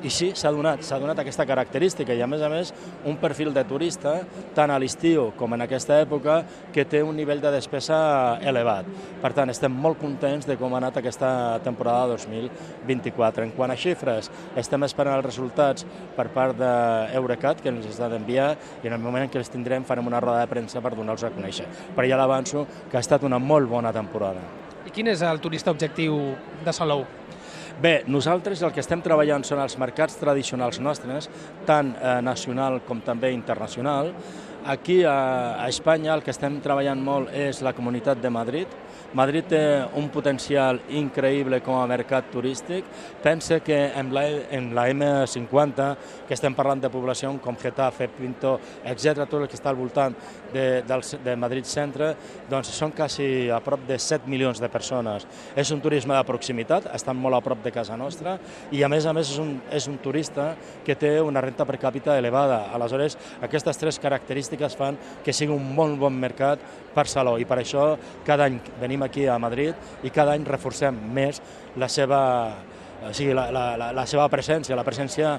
I sí, s'ha donat aquesta característica i, a més, un perfil de turista, tant a l'estiu com en aquesta època, que té un nivell de despesa elevat. Per tant, estem molt contents de com ha anat aquesta temporada 2024. En quant a xifres, estem esperant els resultats per part d'Eurecat, que ens està d'enviar, i en el moment en què els tindrem farem una roda de premsa per donar-los a conèixer. Però ja l'avanço que ha estat una molt bona temporada. I quin és el turista objectiu de Salou? Bé, nosaltres el que estem treballant són els mercats tradicionals nostres, tant nacional com també internacional. aquí a Espanya el que estem treballant molt és la Comunitat de Madrid. Madrid té un potencial increïble com a mercat turístic. Pensa que en la M50, que estem parlant de població com Getafe, Pinto, etc., tot el que està al voltant de Madrid Centre, doncs són quasi a prop de 7 milions de persones. És un turisme de proximitat, estan molt a prop de casa nostra, i a més és un turista que té una renta per càpita elevada. Aleshores, aquestes tres característiques fan que sigui un molt bon mercat per Salou, i per això cada any venim aquí a Madrid i cada any reforcem més la seva presència, la presència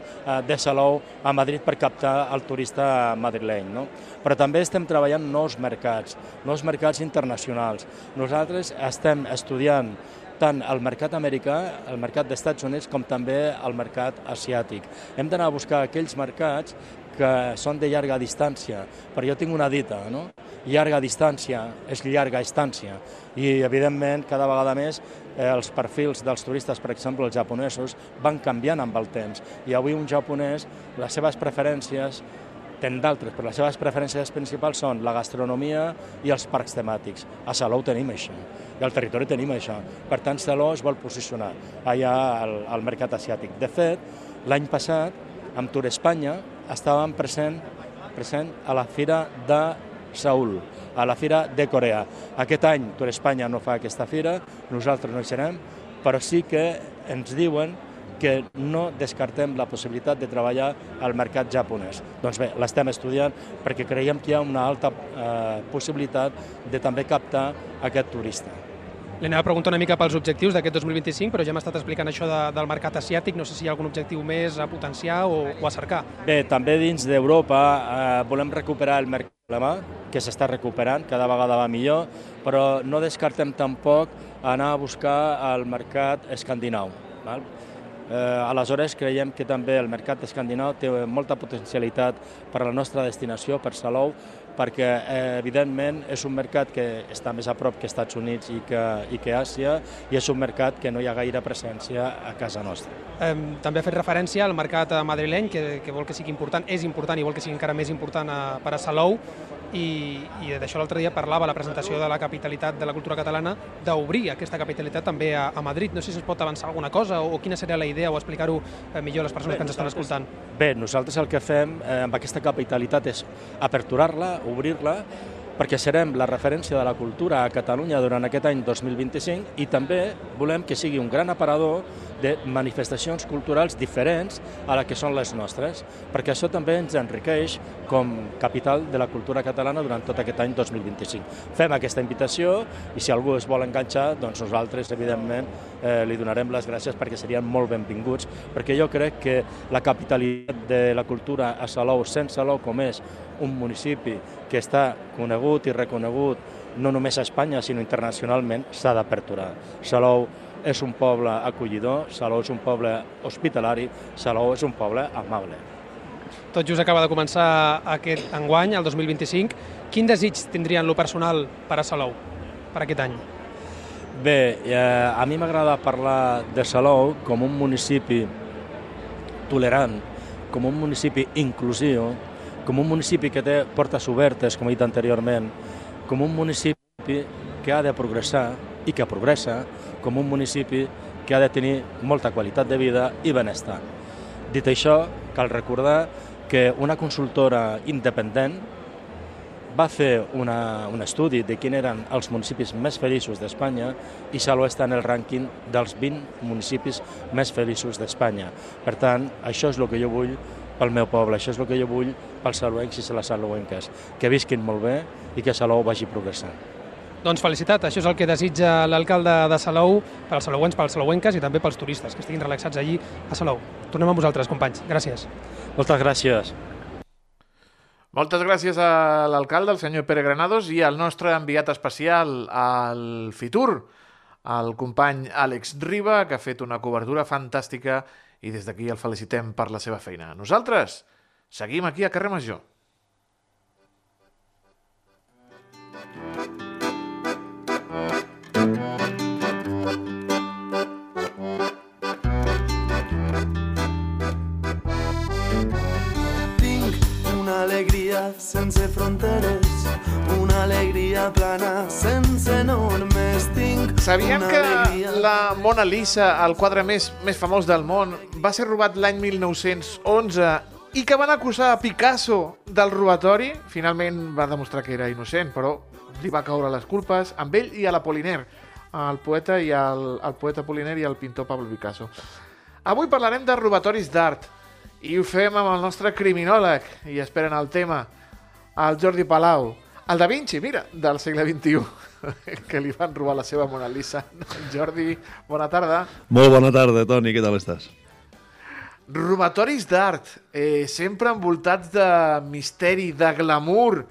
de Salou a Madrid per captar el turista madrileny. No? Però també estem treballant nous mercats internacionals. Nosaltres estem estudiant tant el mercat americà, el mercat dels Estats Units, com també el mercat asiàtic. Hem d'anar a buscar aquells mercats que són de llarga distància, però jo tinc una dita, no? Llarga distància és llarga estància, i evidentment cada vegada més els perfils dels turistes, per exemple els japonesos, van canviant amb el temps, i avui un japonès, les seves preferències, ten d'altres, però les seves preferències principals són la gastronomia i els parcs temàtics. A Salou tenim això, i al territori tenim això. Per tant, Salou es vol posicionar allà al mercat asiàtic. De fet, l'any passat, amb Tour Espanya, estàvem present a la Fira de Seül, a la Fira de Corea. Aquest any Tour Espanya no fa aquesta fira, nosaltres no hi serem, però sí que ens diuen que no descartem la possibilitat de treballar al mercat japonès. Doncs bé, l'estem estudiant perquè creiem que hi ha una alta possibilitat de també captar aquest turista. Li anava a preguntar una mica pels objectius d'aquest 2025, però ja m'ha estat explicant això del mercat asiàtic. No sé si hi ha algun objectiu més a potenciar o a cercar. Bé, també dins d'Europa volem recuperar el mercat alemà, que s'està recuperant, cada vegada va millor, però no descartem tampoc anar a buscar el mercat escandinau. Aleshores, creiem que també el mercat escandinau té molta potencialitat per a la nostra destinació, per Salou, perquè evidentment és un mercat que està més a prop que Estats Units i que Àsia, i és un mercat que no hi ha gaire presència a casa nostra. També ha fet referència al mercat madrileny, que vol que sigui important, és important i vol que sigui encara més important per a Salou, i d'això l'altre dia parlava a la presentació de la capitalitat de la cultura catalana, d'obrir aquesta capitalitat també a Madrid. No sé si es pot avançar alguna cosa o quina seria la idea, o explicar-ho millor a les persones que ens estan escoltant. Bé, nosaltres el que fem amb aquesta capitalitat és aperturar-la, obrir-la, perquè serem la referència de la cultura a Catalunya durant aquest any 2025, i també volem que sigui un gran aparador de manifestacions culturals diferents a la que són les nostres, perquè això també ens enriqueix com capital de la cultura catalana durant tot aquest any 2025. Fem aquesta invitació, i si algú es vol enganxar, doncs nosaltres, evidentment, li donarem les gràcies perquè serien molt benvinguts, perquè jo crec que la capitalitat de la cultura a Salou, sent Salou com és un municipi que està conegut i reconegut no només a Espanya, sinó internacionalment, s'ha d'aperturar. Salou és un poble acollidor, Salou és un poble hospitalari, Salou és un poble amable. Tot just acaba de començar aquest enguany, el 2025. Quin desig tindrien lo personal per a Salou, per aquest any? Bé, a mi m'agrada parlar de Salou com un municipi tolerant, com un municipi inclusiu, com un municipi que té portes obertes, com he dit anteriorment, com un municipi que ha de progressar i que progressa, com un municipi que ha de tenir molta qualitat de vida i benestar. Dit això, cal recordar que una consultora independent va fer un estudi de quins eren els municipis més feliços d'Espanya, i Salou està en el rànquing dels 20 municipis més feliços d'Espanya. Per tant, això és el que jo vull pel meu poble, això és el que jo vull pels salouencs i les salouenques, que visquin molt bé i que Salou vagi progressant. Doncs felicitat, això és el que desitja l'alcalde de Salou per als salouens, per als salouenques i també pels turistes, que estiguin relaxats allí a Salou. Tornem amb vosaltres, companys. Gràcies. Moltes gràcies. Moltes gràcies a l'alcalde, el senyor Pere Granados, i al nostre enviat especial al Fitur, el company Àlex Riba, que ha fet una cobertura fantàstica, i des d'aquí el felicitem per la seva feina. Nosaltres seguim aquí a Carrer Major. Tinc una alegria sense fronteres. plana sense normes. Tinc Sabíem una que alegria. la Mona Lisa, el quadre més famós del món, va ser robat l'any 1911 i que van acusar a Picasso del robatori? Finalment va demostrar que era innocent, però li va caure les culpes amb ell i a l'Apollinaire, el poeta Apollinaire i el pintor Pablo Picasso. Avui parlarem de robatoris d'art i ho fem amb el nostre criminòleg i esperen el tema, el Jordi Palau, el Da Vinci, mira, del segle XXI, que li van robar la seva Mona Lisa. Jordi, bona tarda. Molt bona tarda, Toni, què tal estàs? Robatoris d'art, sempre envoltats de misteri, de glamour,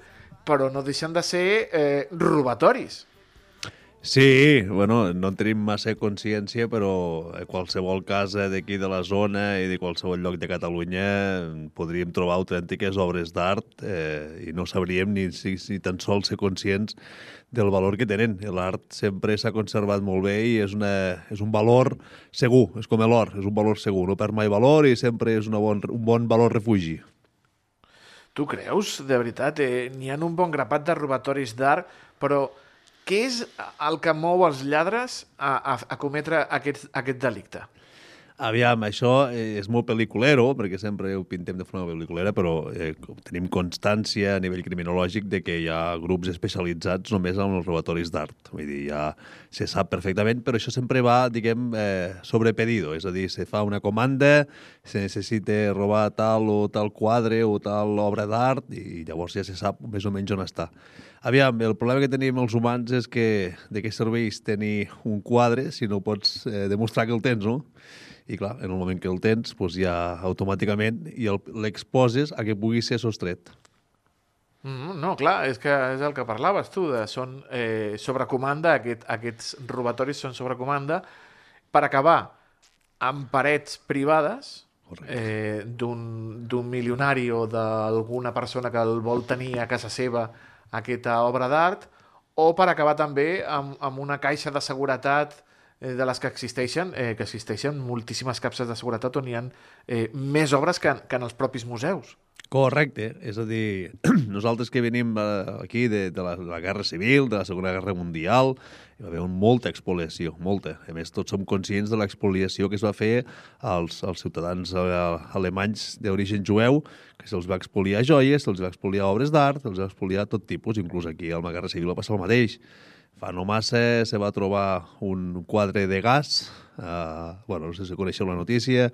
però no deixen de ser robatoris. Sí, bueno, no en tenim massa consciència, però en qualsevol casa d'aquí de la zona i de qualsevol lloc de Catalunya podríem trobar autèntiques obres d'art i no sabríem ni tan sols ser conscients del valor que tenen. L'art sempre s'ha conservat molt bé i és un valor segur, és com l'or, és un valor segur, no perd mai valor i sempre és un bon valor refugi. Tu creus, de veritat? N'hi ha un bon grapat de robatoris d'art, però què és el que mou els lladres a cometre aquest delicte? Aviam, això és molt pel·liculero, perquè sempre ho pintem de forma pel·liculera, però tenim constància a nivell criminològic de que hi ha grups especialitzats només en els robatoris d'art. Vull dir, ja se sap perfectament, però això sempre va, diguem, sobre pedido. És a dir, se fa una comanda, se necessita robar tal o tal quadre o tal obra d'art i llavors ja se sap més o menys on està. Aviam, el problema que tenim els humans és que de què serveix tenir un quadre si no pots demostrar que el tens, no? I clar, en el moment que el tens, doncs ja automàticament l'exposes a que pugui ser sostret. No, clar, és el que parlaves tu, són sobre comanda, aquests robatoris són sobre comanda, per acabar amb parets privades d'un milionari o d'alguna persona que el vol tenir a casa seva aquesta obra d'art, o per acabar també amb una caixa de seguretat de les que existeixen moltíssimes capses de seguretat on hi ha més obres que en els propis museus. Correcte, és a dir, nosaltres que venim aquí de la Guerra Civil, de la Segona Guerra Mundial, hi va haver molta expoliació, molta. A més, tots som conscients de l'expoliació que es va fer als ciutadans alemanys d'origen jueu, que se'ls va expoliar joies, se'ls va expoliar obres d'art, se'ls va expoliar tot tipus, inclús aquí a la Guerra Civil va passar el mateix. Fa no massa se va trobar un quadre de gas, no sé si coneixeu la notícia,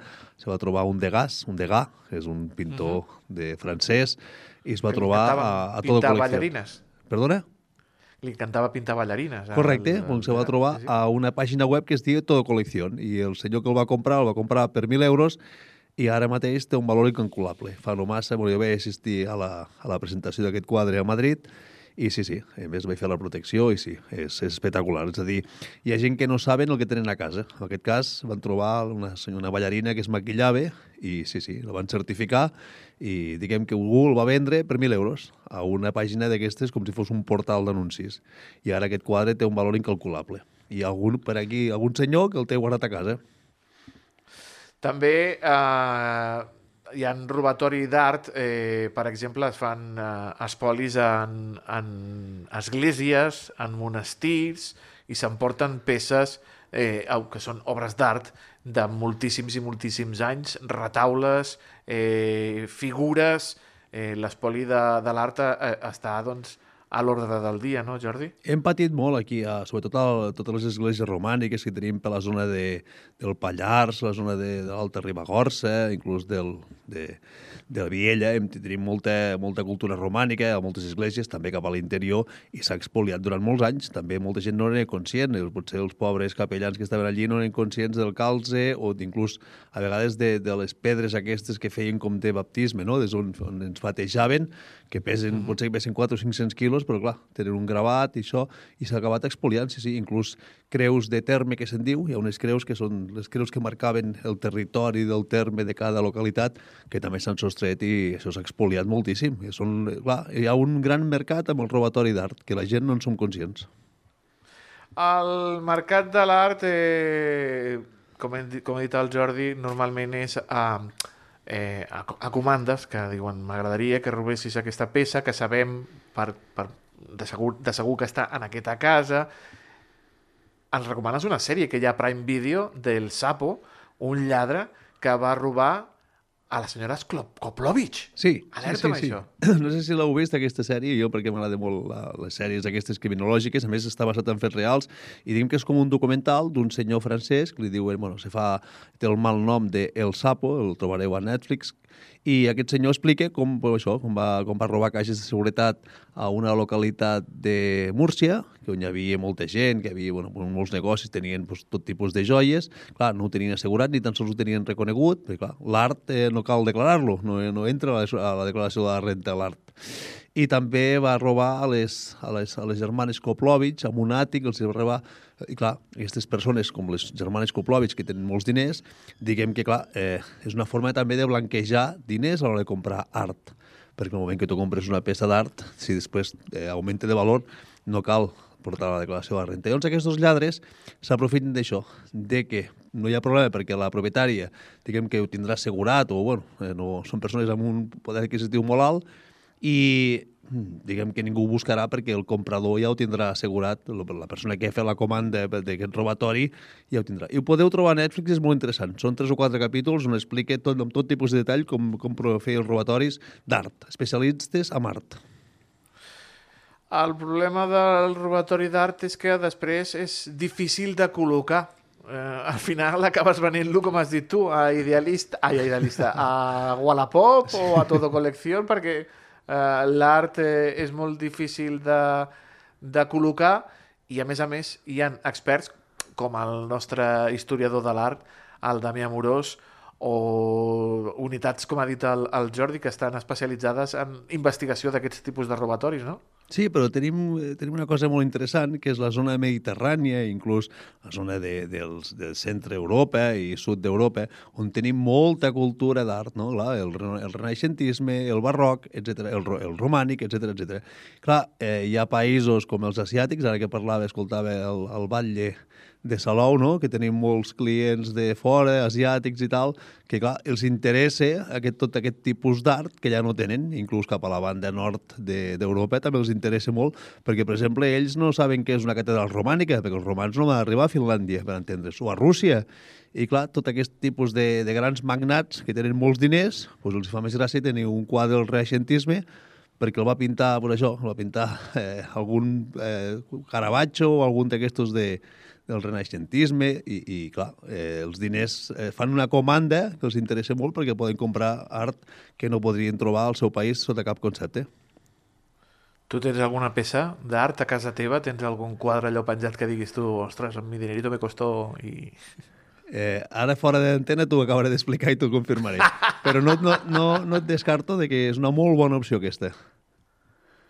se va trobar un Degas, que és un pintor francès, i es va trobar a tota col·lecció. Ballarines. Perdona? Li encantava pintar ballarines. Correcte, se va trobar a una pàgina web que es diu Todo Colección, i el senyor que el va comprar per 1.000 euros i ara mateix té un valor incalculable. Fa no massa, jo vaig assistir a la presentació d'aquest quadre a Madrid. I sí, a més vaig fer la protecció i sí, és espectacular. És a dir, hi ha gent que no saben el que tenen a casa. En aquest cas van trobar una ballarina que es maquillava i sí, la van certificar i diguem que algú el va vendre per 1.000 euros a una pàgina d'aquestes com si fos un portal d'anuncis. I ara aquest quadre té un valor incalculable. I per aquí, algun senyor que el té guardat a casa. També hi ha robatori d'art, per exemple, es fan espolis en esglésies, en monestirs, i s'emporten peces que són obres d'art de moltíssims i moltíssims anys, retaules, figures. L'espoli de l'art està, doncs, a l'ordre del dia, no, Jordi? Hem patit molt aquí, sobretot a totes les esglésies romàniques que tenim per la zona del Pallars, la zona de l'Alta Ribagorça, inclús de Viella. Tenim molta cultura romànica a moltes esglésies, també cap a l'interior, i s'ha expoliat durant molts anys. També molta gent no n'era conscient, potser els pobres capellans que estaven allí no eren conscients del calze o inclús a vegades de les pedres aquestes que feien com de baptisme, no? Des on ens batejaven, que potser que pesen 400 o 500 quilos, però clar, tenen un gravat i això, i s'ha acabat expoliant, sí, inclús creus de terme que se'n diu, hi ha unes creus que són les creus que marcaven el territori del terme de cada localitat, que també s'han sostret i això s'ha expoliat moltíssim. Hi ha un gran mercat amb el robatori d'art, que la gent no en som conscients. El mercat de l'art, com ha dit el Jordi, normalment és a comandes, que diuen, m'agradaria que robessis aquesta peça, que sabem per de segur que està en aquesta casa. Ens recomanes una sèrie que hi ha a Prime Video del Sapo, un lladre que va robar a la senyora Koplovich. Sí. Alerta amb això. No sé si l'heu vist, aquesta sèrie, jo perquè m'agrada molt les sèries aquestes criminològiques, a més està basat en fets reals, i diguem que és com un documental d'un senyor francès que li diuen, té el mal nom de El Sapo, el trobareu a Netflix, i aquest senyor explica com va robar caixes de seguretat a una localitat de Múrcia, on hi havia molta gent, que hi havia molts negocis, tenien tot tipus de joies. Clar, no ho tenien assegurat, ni tan sols ho tenien reconegut, perquè clar, l'art no cal declarar-lo, no entra a la declaració de la renta l'art. I també va robar a les germanes Koplovich amb un àtic, els va robar. I clar, aquestes persones, com les germanes Koplovich, que tenen molts diners, diguem que, clar, és una forma també de blanquejar diners a l'hora de comprar art. Perquè el moment que tu compres una peça d'art, si després augmenta de valor, no cal portar la declaració de la renta. Llavors aquests lladres s'aprofiten d'això, de que no hi ha problema perquè la propietària, diguem que ho tindrà assegurat, o són persones amb un poder adquisitiu molt alt, i diguem que ningú ho buscarà perquè el comprador ja ho tindrà assegurat, la persona que ha fet la comanda d'aquest robatori ja ho tindrà. I ho podeu trobar a Netflix, és molt interessant. Són 3 o 4 capítols on explica amb tot tipus de detall com fer els robatoris d'art, especialistes en art. El problema del robatori d'art és que després és difícil de col·locar. Al final acabes venent-lo, com has dit tu, a Wallapop o a Todo Colección, perquè l'art és molt difícil de col·locar i, a més, hi ha experts com el nostre historiador de l'art, el Damià Amorós, o unitats, com ha dit el Jordi, que estan especialitzades en investigació d'aquests tipus de robatoris, no? Sí, però tenim una cosa molt interessant, que és la zona mediterrània, inclús la zona del centre Europa i sud d'Europa, on tenim molta cultura d'art, no? El renaixentisme, el barroc, etc., el romànic, etc. Clar, hi ha països com els asiàtics, ara que escoltava el batlle de Salou, no? Que tenim molts clients de fora, asiàtics i tal, que clar, els interessa tot aquest tipus d'art que ja no tenen, inclús cap a la banda nord d'Europa també els interessa molt, perquè, per exemple, ells no saben què és una catedral romànica, perquè els romans no van arribar a Finlàndia, per entendre's, o a Rússia. I clar, tot aquest tipus de grans magnats que tenen molts diners, doncs els fa més gràcia tenir un quadre del renaixentisme, perquè el va pintar, algun Caravaggio o algun d'aquestos del renaixentisme i clar, els diners fan una comanda que els interessa molt perquè poden comprar art que no podrien trobar al seu país sota cap concepte. Tu tens alguna peça d'art a casa teva? Tens algun quadre allò penjat que diguis tu, ostres, amb mi dinerito me costó i... Ara fora d'antena t'ho acabaré d'explicar i t'ho confirmaré. Però no et descarto de que és una molt bona opció aquesta.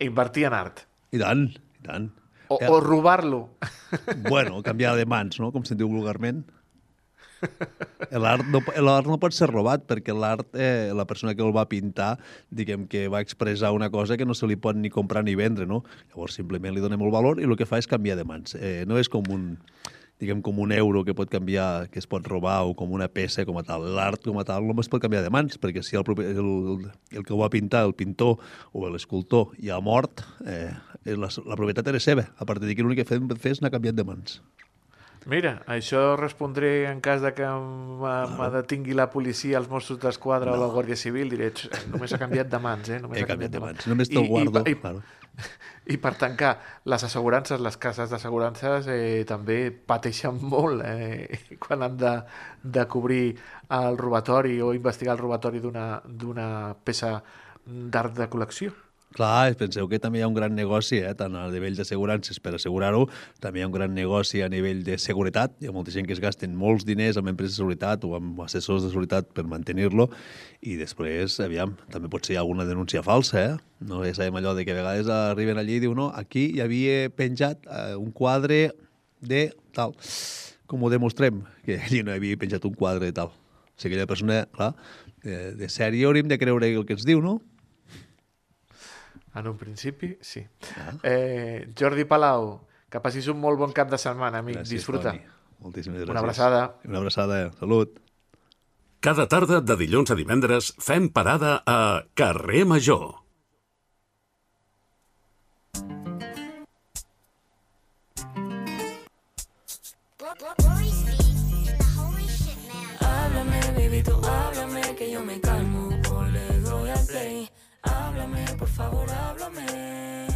Invertir en art. I tant, i tant. O robar-lo. Bueno, canviar de mans, no? Com se'n diu vulgarment. L'art no pot ser robat, perquè l'art, la persona que el va pintar, diguem que va expressar una cosa que no se li pot ni comprar ni vendre, no? Llavors simplement li dona molt valor i el que fa és canviar de mans. No és com un euro que pot canviar, que es pot robar, o com una peça com a tal. L'art com a tal no es pot canviar de mans, perquè si el que ho va pintar, el pintor o l'escultor, ja ha mort, la propietat era seva. A partir d'aquí l'únic que fer és anar canviant de mans. Mira, això respondré en cas de que me detingui la policia, els Mossos d'Esquadra o la Guàrdia Civil, diré, només ha canviat de mans, Només he canviat de mans. Només te'l guardo. I per tancar, les assegurances, les cases d'assegurances també pateixen molt quan han de cobrir el robatori o investigar el robatori d'una peça d'art de col·lecció. Clar, penseu que també hi ha un gran negoci, tant a nivell d'assegurances per assegurar-ho, també hi ha un gran negoci a nivell de seguretat. Hi ha molta gent que es gasten molts diners amb empreses de seguretat o amb assessors de seguretat per mantenir-lo i després, aviam, també pot ser alguna denúncia falsa, No ja sabem allò de que a vegades arriben allí i diuen no, aquí hi havia penjat un quadre de tal. Com ho demostrem? Que allí no hi havia penjat un quadre de tal. O sigui, aquella persona, clar, de sèrie hauríem de creure el que ens diu, no? En un principi, sí. Jordi Palau, que passis un molt bon cap de setmana, amic. Gràcies, disfruta. Toni. Moltíssimes gràcies. Una abraçada. Una abraçada. Salut. Cada tarda de dilluns a divendres fem parada a Carrer Major. Háblame, baby, tú háblame, que yo me calmo o le doy al play. Háblame, por favor, háblame.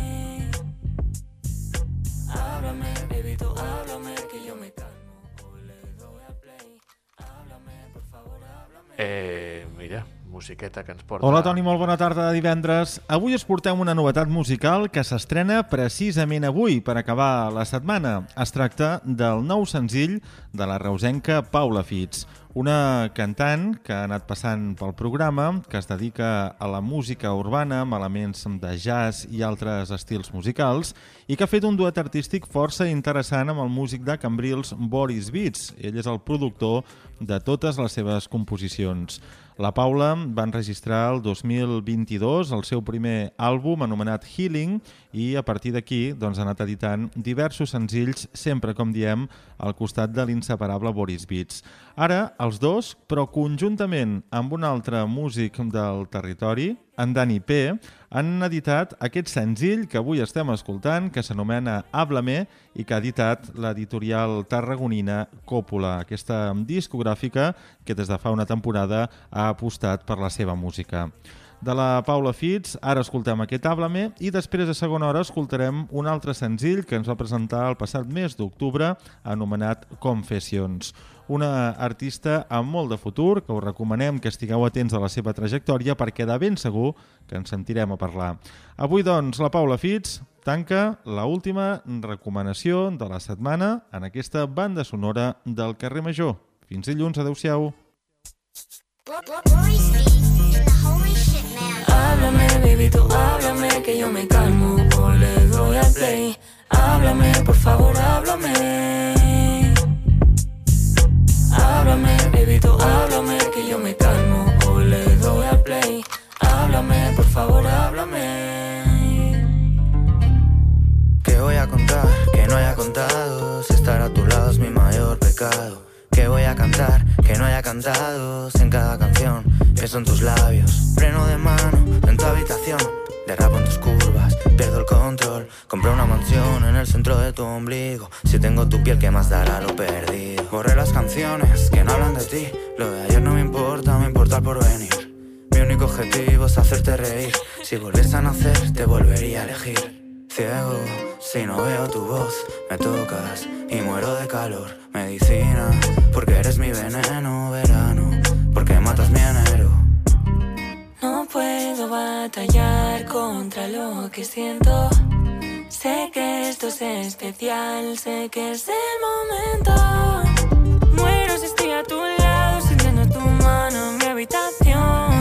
Háblame, baby, tú háblame, que yo me calmo o le doy al play. Háblame, por favor, háblame. Mira, musiqueta que ens porta... Hola, Toni, molt bona tarda de divendres. Avui us portem una novetat musical que s'estrena precisament avui, per acabar la setmana. Es tracta del nou senzill de la reusenca Paula Fitz, una cantant que ha anat passant pel programa, que es dedica a la música urbana amb elements de jazz i altres estils musicals i que ha fet un duet artístic força interessant amb el músic de Cambrils Boris Beats. Ell és el productor de totes les seves composicions. La Paula va enregistrar el 2022 el seu primer àlbum anomenat Healing i a partir d'aquí ha anat editant diversos senzills, sempre, com diem, al costat de l'inseparable Boris Beats. Ara, els dos, però conjuntament amb un altre músic del territori, en Dani P, han editat aquest senzill que avui estem escoltant, que s'anomena Háblame i que ha editat l'editorial tarragonina Còpula, aquesta discogràfica que des de fa una temporada ha apostat per la seva música. De la Paula Fitz, ara escoltem aquest Háblame i després a segona hora escoltarem un altre senzill que ens va presentar el passat mes d'octubre anomenat Confessions. Una artista amb molt de futur, que us recomanem que estigueu atents a la seva trajectòria perquè de ben segur que ens sentirem a parlar. Avui, doncs, la Paula Fitz tanca l'última recomanació de la setmana en aquesta banda sonora del carrer Major. Fins dilluns, adeu-siau. Háblame, baby, tú háblame, que yo me calmo o le doy al play. Háblame, por favor, háblame. Háblame, baby, tú háblame, que yo me calmo o le doy al play. Háblame, por favor, háblame. ¿Qué voy a contar? Que no haya contado. Si estar a tu lado es mi mayor pecado. ¿Qué voy a cantar? Que no haya cantado. Si en cada canción pienso en tus labios. Freno de mano en tu habitación. Derrapo en tus curvas, pierdo el control. Compré una mansión en el centro de tu ombligo. Si tengo tu piel, ¿qué más dará lo perdido? Borré las canciones que no hablan de ti. Lo de ayer no me importa el porvenir. Mi único objetivo es hacerte reír. Si volviese a nacer, te volvería a elegir. Ciego, si no veo tu voz, me tocas y muero de calor. Medicina, porque eres mi veneno. Verano, porque matas mi enero. No puedo batallar contra lo que siento. Sé que esto es especial, sé que es el momento. Muero si estoy a tu lado, sintiendo tu mano en mi habitación.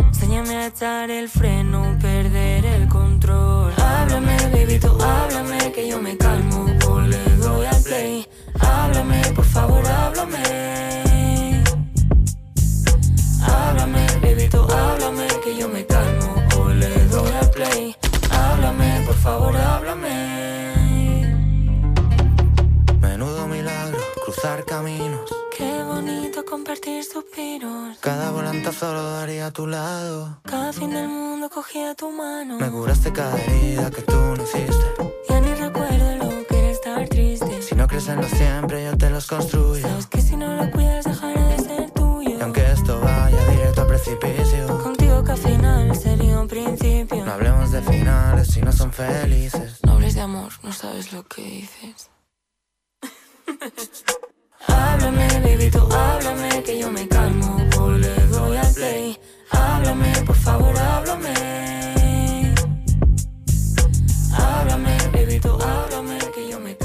Enséñame a echar el freno, perder el control. Háblame, baby, tú háblame, que yo me calmo o le doy al play. Háblame, por favor, háblame. Háblame, baby, tú háblame, que yo me calmo o le doy al play. Háblame, por favor, háblame. Menudo milagro, cruzar caminos. Qué bonito compartir suspiros. Cada volantazo lo daría a tu lado. Cada fin del mundo cogía tu mano. Me curaste cada herida que tú no hiciste. Ya ni recuerdo lo que era estar triste. Si no crees en lo siempre, yo te los construyo. Sabes que si no lo cuidas dejará de ser tuyo. Y aunque esto vaya directo al precipicio, contigo que al final sería un principio. No hablemos de finales si no son felices. No hables de amor, no sabes lo que dices. Háblame, baby, tú háblame, que yo me calmo o le doy al play. Háblame, por favor, háblame. Háblame, baby, tú háblame, que yo me calmo.